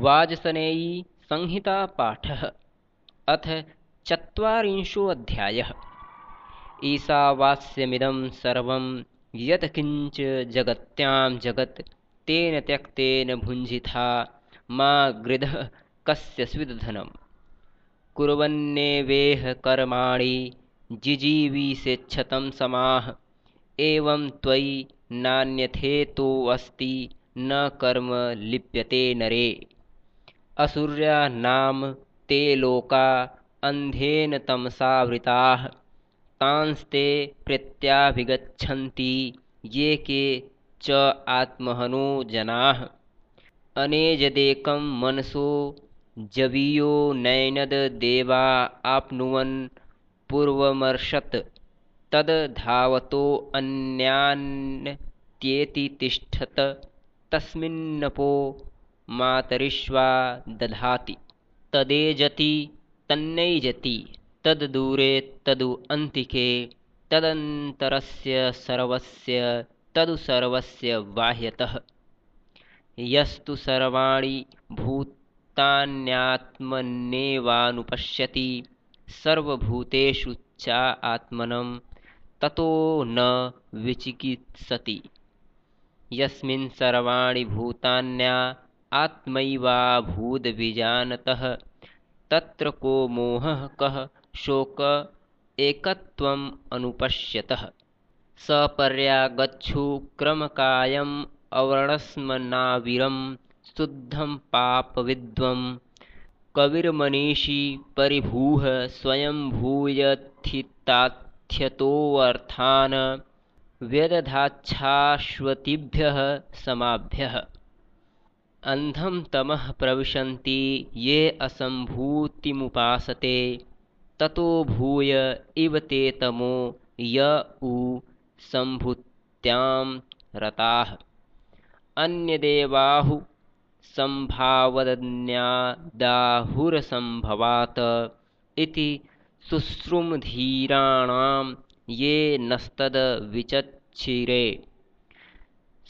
वाजसनेयी संहिता पाठः अथ चत्वारिंशोऽध्यायः। ईशावास्यमिदं सर्वं यत्किञ्च जगत्यां जगत् तेन त्यक्तेन भुञ्जीथा मा गृधः कस्य स्विद्धनम् कुर्वन्नेवेह कर्माणि जिजीविषेच्छतं समाः एवं त्वयि नान्यथेतोऽस्ति न कर्म लिप्यते नरे। असुर्या नाम ते लोका अन्धेन तमसावृताः तांस्ते प्रत्याभिगच्छन्ति ये के च आत्महनो जनाः। अनेजदेकं मनसो जवीयो नैनद देवा आप्नुवन् पूर्वमर्षत् तद् धावतो अन्यान्त्येति तिष्ठत तस्मिन्नपो मातरिश्वा दधाति तदेजति तन्नैजति तद्दूरे तदु अन्तिके तदन्तरस्य सर्वस्य तदु सर्वस्य बाह्यतः। यस्तु सर्वाणि भूतान्यात्मन्येवानुपश्यति सर्वभूतेषु च आत्मनं ततो न विचिकित्सति। यस्मिन् सर्वाणि भूतान्या आत्मैवाभूद्विजानतः तत्र को मोहः कः शोक एकत्वम् अनुपश्यतः। सपर्यागच्छु क्रमकायम् अवर्णस्मनाविरं शुद्धं पापविद्वं कविर्मनीषी परिभूः स्वयंभूयथिताथ्यतोऽर्थान् व्यदधाच्छाश्वतीभ्यः समाभ्यः। अंधं तमः प्रविशन्ति ये असम्भूतिमुपासते ततो भूय इव ते तमो य उ सम्भूत्यां रताः। अन्यदेवाहु सम्भावदन्यादाहुरसम्भवात् इति शुश्रुमधीराणां ये नस्तद्विचच्छिरे।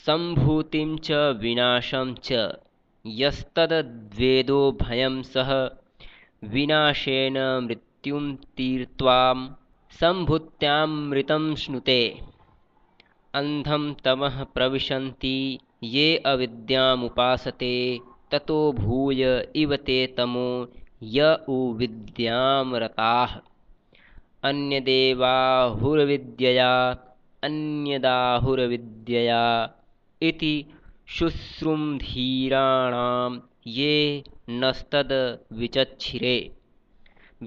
सम्भूतिं च विनाशं च यस्तद्वेदो भयं सह विनाशेन मृत्युं तीर्त्वा सम्भूत्यामृतं श्नुते। अंधं तमः प्रविशन्ति ये अविद्यामुपासते ततो भूय इव ते तमो य उ विद्यां रताः। अन्यदेवाहुरविद्यया अन्यदाहुरविद्यया इति शुश्रुमधीराणां ये नस्तद्विचच्छिरे।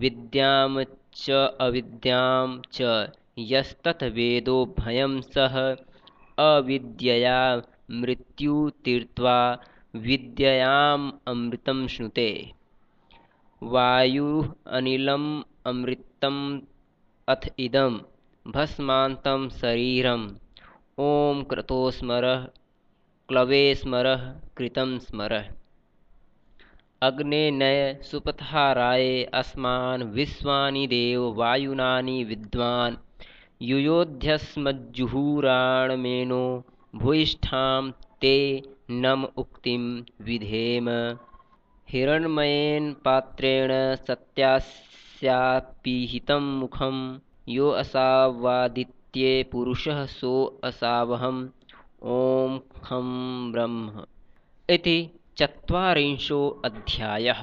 विद्यां च अविद्यां च यस्तद्वेदो भयं सह अविद्यया मृत्यु तीर्त्वा विद्ययाम् अमृतं श्नुते। वायुः अनिलम् अमृतम् अथ इदं भस्मान्तं शरीरम् ॐ क्रतो स्मरः क्लवे स्मरः कृतं स्मरः। अग्ने नय सुपथाराय अस्मान् विश्वानि देव वायुनानि विद्वान् युयोध्यस्मज्जुहुराणमेनो भूयिष्ठां ते नम उक्तिं विधेम। हिरण्मयेन पात्रेण सत्यास्यापीहितं मुखं यो असावादित्ये पुरुषः सो असावहम् ॐ खं ब्रह्म इति चत्वारिंशोऽध्यायः।